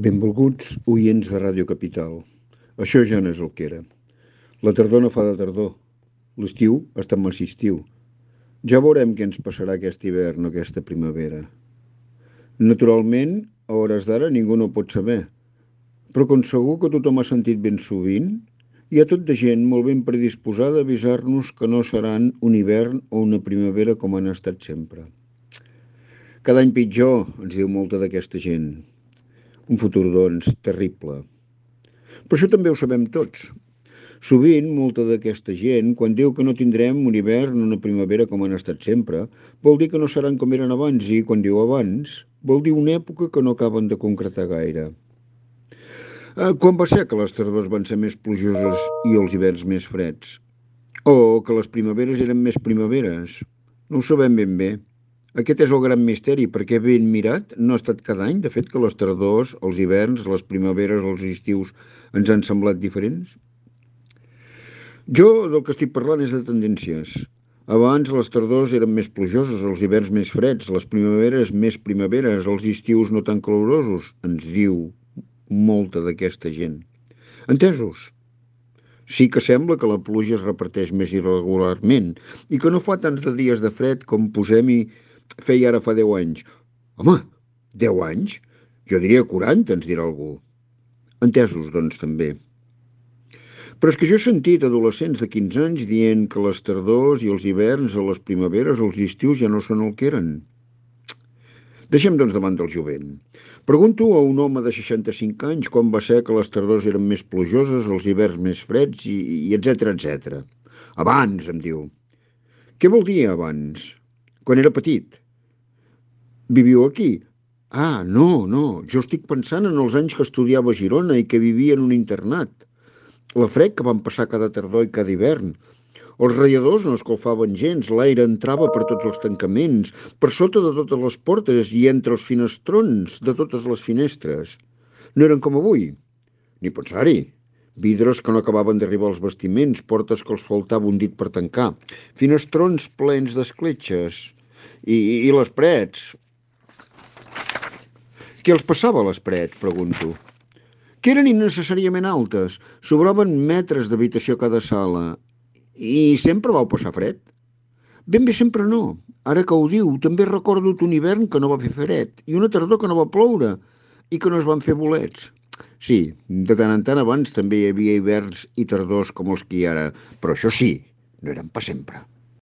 Benvolguts oients de Ràdio Capital. Això ja no és el que era. La tardor no fa de tardor. L'estiu està en massistiu. Ja veurem què ens passarà aquest hivern o aquesta primavera. Naturalment, a hores d'ara ningú no pot saber. Però com segur que tothom ha sentit ben sovint, hi ha tot de gent molt ben predisposada a avisar-nos que no seran un hivern o una primavera com han estat sempre. Cada any pitjor, ens diu molta d'aquesta gent. Un futur, doncs, terrible. Però això també ho sabem tots. Sovint, molta d'aquesta gent, quan diu que no tindrem un hivern o una primavera com han estat sempre, vol dir que no seran com eren abans, i quan diu abans, vol dir una època que no acaben de concretar gaire. Quan va ser que les tardors van ser més plujoses i els hiverns més freds? O que les primaveres eren més primaveres? No ho sabem ben bé. Aquest és el gran misteri, perquè ben mirat no ha estat cada any, de fet, que les tardors, els hiverns, les primaveres, els estius ens han semblat diferents. Jo del que estic parlant és de tendències. Abans les tardors eren més plujoses, els hiverns més freds, les primaveres més primaveres, els estius no tan calorosos, ens diu molta d'aquesta gent. Entesos? Sí que sembla que la pluja es reparteix més irregularment i que no fa tants de dies de fred com posem-hi feia ara fa 10 anys. Home, 10 anys? Jo diria 40, ens dirà algú. Entesos, doncs, també. Però és que jo he sentit adolescents de 15 anys dient que les tardors i els hiverns o les primaveres o els estius ja no són el que eren. Deixem, doncs, davant del jovent. Pregunto a un home de 65 anys quan va ser que les tardors eren més plujoses, els hiverns més freds i etcètera, etcètera. Abans, em diu. Què vol dir abans? Quan era petit. Viviu aquí? Ah, no, jo estic pensant en els anys que estudiava a Girona i que vivia en un internat. La fred que van passar cada tardor i cada hivern. Els radiadors no escalfaven gens, l'aire entrava per tots els tancaments, per sota de totes les portes i entre els finestrons de totes les finestres. No eren com avui, ni pensar-hi. Vidres que no acabaven d'arribar als bastiments, portes que els faltava un dit per tancar, finestrons plens d'escletxes i les parets. Què els passava a les parets, pregunto? Que eren innecessàriament altes, sobraven metres d'habitació a cada sala. I sempre vau passar fred? Ben bé sempre no. Ara que ho diu, també recordo un hivern que no va fer fred i una tardor que no va ploure i que no es van fer bolets. Sí, de tant en tant abans també hi havia hiverns i tardors com els que hi ha ara, però això sí, no eren per sempre.